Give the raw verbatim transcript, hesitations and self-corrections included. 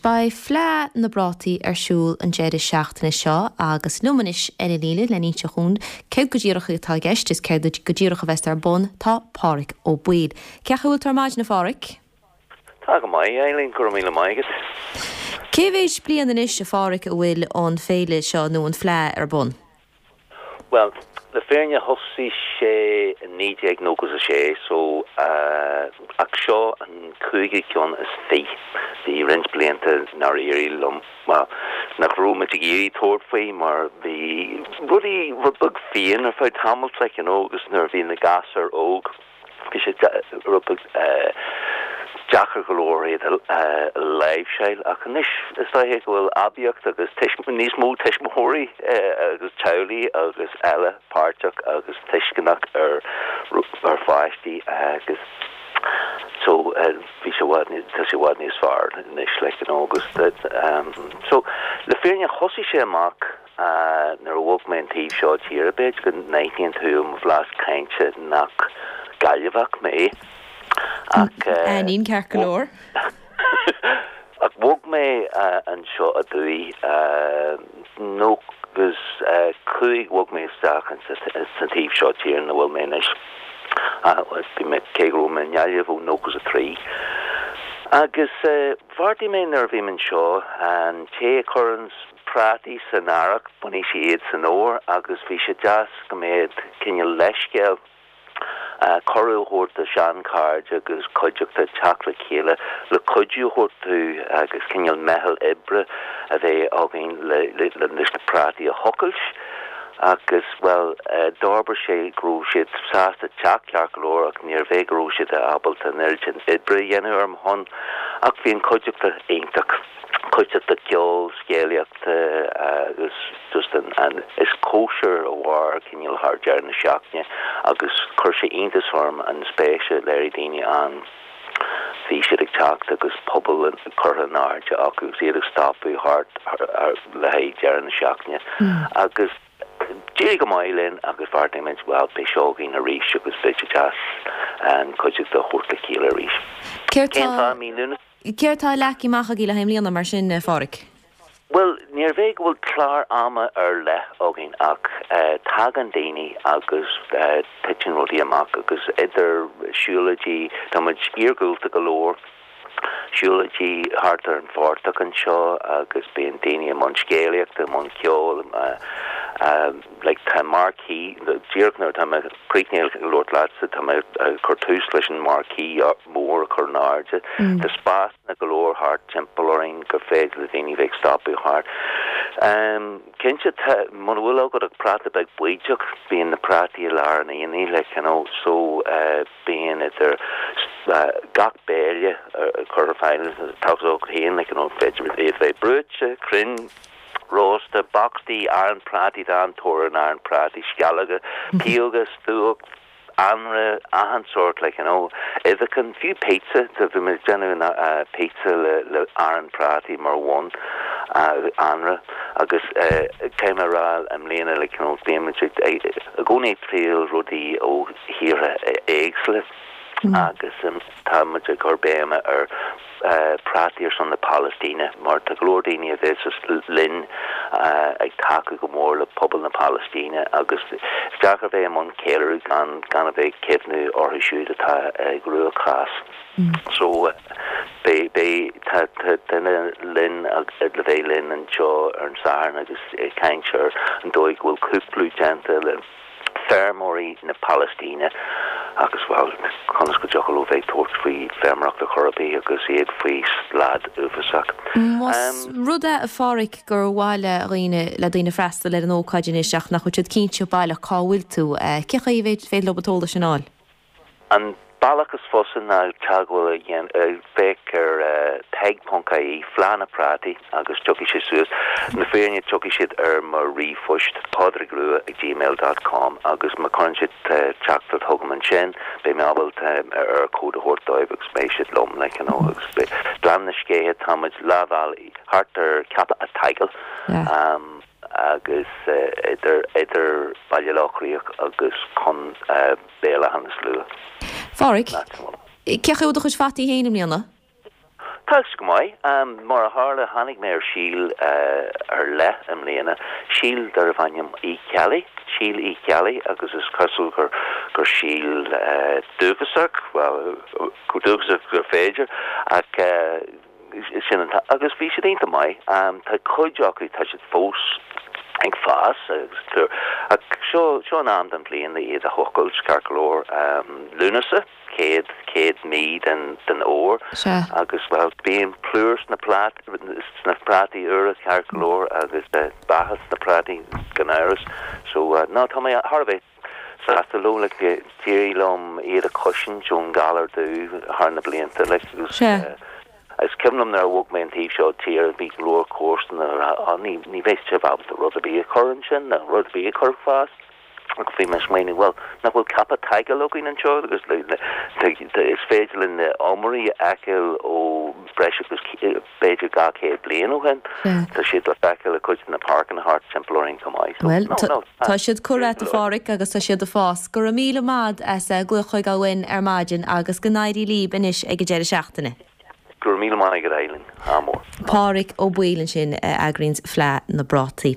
Beidh Fleadh na bPrátaí ar siúl an deireadh seachtaine seo agus liom anois ar an líne le n-inse dhúinn céard go díreach atá i gceist is céard go díreach a bheas ar bun tá Páraic Ó Baoill. Cén chaoi a bhfuil tú ar maidin a Pháraic? Tá go maith Eileen go raibh míle maith agat. Cé mhéad bliain anois a Pháraic a bhfuil an féile seo nó an Fleadh ar bun? Well, le fírinne thosaigh sé i naoi déag nócha a sé so ach seo an cúigiú ceann is fiche. Bhí roinnt blianta nár éirigh liom, bhuel, nach raibh muid ag iarraidh tabhairt faoi mar bhí rudaí rud beag fiáin ar feadh tamaill like you know agus nuair a bhí na gasúir óg Bhí sé rud beag deacair go leor iad a láimhseáil ach anois is dóiche go bhfuil aibíocht agus níos mó tuismitheoirí agus teaghlaigh agus eile páirteach agus tuisceanach ar ar pháistí agus so bhí sé i bhfad tá sé i bhfad níos fearr anois like you know agus so le fírinne thosaigh sé amach Nuair a bhog mé an taobh seo tíre, b'fhéidir go n-aithníonn tú ó mo bhlas cainte nach Gaillimheach mé, ach. Aithním ceart go leor. Ach bhog mé anseo aduaidh, nócha is cúig, bhog mé isteach sa taobh seo tíre ina bhfuil mé anois. Bhí mé, cé go raibh mé i nGaillimh ó nócha is a trí. Agus bheartaigh mé nuair a bhí mé anseo, an té a chuireann prátaí san earrach, bainfidh sé iad san fhómhar agus bhí sé deas go mbeadh cineál leithscéal, cuireadh a thabhairt do sheanchairde agus cuideachta teacht le chéile le cuidiú a thabhairt dúinn agus cineál meitheal oibre a bheith againn leis na prátaí a thochailt agus, bhuel, d'fhorbair sé go raibh siad sásta teacht ceart go leor ach níorbh é go raibh siad ábalta an oiread sin oibre a dhéanamh ar mo shon ach bhí an chuideachta iontach. Cuideachta ceoil, scéalaíochta agus just an, an, is cóisir a mhair cineál thar deireadh na seachtaine agus chuir sé iontas orm an spéis a léirigh daoine ann. Bhí siad ag teacht agus puball curtha in airde acu agus iad ag stopadh thart le haghaidh deireadh na seachtaine agus d'éirigh go maith linn agus bheartaigh muid bhuel beidh seo againn arís agus beidh sé deas an chuideachta a thabhairt le chéile arís. Céard Cén fáth mí Lúnasa? Céard tá leagtha amach agaibh le haghaidh i mbliana mar sin, a Pháraic? Bhuel, níorbh é go bhfuil clár ama ar leith againn ach tagann daoine agus titeann rudaí amach agus idir siúlóidí, tá muid iargúlta go leor, siúlóidí thart ar an phortach anseo agus bíonn daoine i mbun scéalaíochta, i mbun ceoil, like tá marquee, díreach nuair atá mé críochnaithe ag labhairt leatsa, tá mé ag cur tús leis an marquee mór a chur in airde. Tá spásanna go leor thart timpeall orainn gur féidir le daoine bheith ag stopadh thart. Cinnte, tá, muna bhfuil agat ach práta beag baoideach, bíonn na prátaí i lár an aonaigh, like, you know, so bíonn idir gach béile curtha ar fáil, tá a fhios agat féin, like, you know, féidir iad bheith brúite, cruinn, rósta, bocstaí, arán prátaí, tá an-tóir ar an arán prátaí, sceallóga, pióga, stuach, anraith, achan sórt like you know, uibheacha, fiú pizza, bhí muid ag déanamh pizza le le arán prátaí mar bhun, anraith agus caithfidh mé a rá i mbliana like you know bíonn muid i gcónaí ag triail rudaí ó thíortha éagsúla agus tá muid ag cur béime ar prátaí ar son na Palaistíne mar tá go leor daoine a bheas linn ag tacú go mór le pobal na Palaistíne agus is deacair bheith i mbun ceiliúradh gan gan a bheith ag cuimhniú orthu siúd atá i gcruachás. So beidh beidh tá tá duine linn le bheith linn anseo ar an Satharn agus ag caint ar an dóigh go bhfuil cúplú déanta le feirmeoirí na Palaistíne agus, bhuel, conas go dtiocfadh leo bheith ag tabhairt faoi feirmeoireacht ar chor ar bith agus iad faoi slad uafásach. Más rud é, a Pháraic, gur mhaith le dhaoine, le daoine freastal ar an ócáid anois ach nach bhfuil siad cinnte baileach cá bhfuil tú, cén chaoi a féidir leo an t-eolas sin a fháil? An bealach is fusa ná teagmháil a dhéanamh, féach ar peig ponc ie, Fleadh na Prátaí, agus tiocfaidh sé suas. Le fírinne, tiocfaidh siad ar mo ríomhphost, padraigrua ag gmail dot com, agus má chuireann siad teachtaireacht chugam ansin, beidh mé ábalta Eircode a thabhairt dóibh agus beidh siad liom, like, you know, agus beidh Gleann na Scéithe, tá muid leath bhealaigh thart ar Ceapach a' tSaigil, agus idir, idir Baile Locha Riach agus Con. Béal Átha na Slua. Pháraic, cén chaoi a bhfuil do chuid fataí féin i mbliana? Tá sé go maith. Mar a tharla, tháinig mé ar síol ar leith i mbliana, síol darbh ainm Uí Cheallaigh, síol Uí Cheallaigh agus is cosúil gur gur síol dúchasach, bhuel, chomh dúchasach gur féidir, ach sin an agus bhí siad iontach maith. Tá cuid acu, tá siad fós ag fás agus ach seo seo an am den bhliain iad a thochailt, ceart go leor, Lúnasa. chéad chéad mí den den fhómhar Sea. agus bhuel bíonn plúr sna plát sna prátaí úra ceart go leor agus beatha sna prátaí gan amhras so no tá mé thar a bheith sásta leo like d'éirigh liom iad a chosaint ón galar dubh thar na blianta like agus Sea. is cuimhin liom nuair a bhog mé an taobh seo tíre bhí go leor comharsana a rá "Á ní ní bheidh sibh ábalta rud ar bith a chur ansin nó rud ar bith a chur ag fás." Agus bhí mé ag smaoineamh, bhuel, nach bhfuil ceapadh tadhaill againn anseo agus is féidir linn na iomairí a fheiceáil ó breis agus b'fhéidir dhá chéad bliain ó shin. Tá siad le feiceáil i cuid de na páirceanna thart timpeall orainn chomh maith. So, Bhuel, no, no, tá siad curtha agat a Pháraic agus tá siad ag fás. Go raibh míle maith as glaoch chuig againn ar maidin agus go n-éirí libh anois ag an deireadh seachtaine. Go raibh míle maith agat Eileen. Ádh mór. Páraic Ó Baoill ansin a eagraíonns Fleadh na bPrátaí.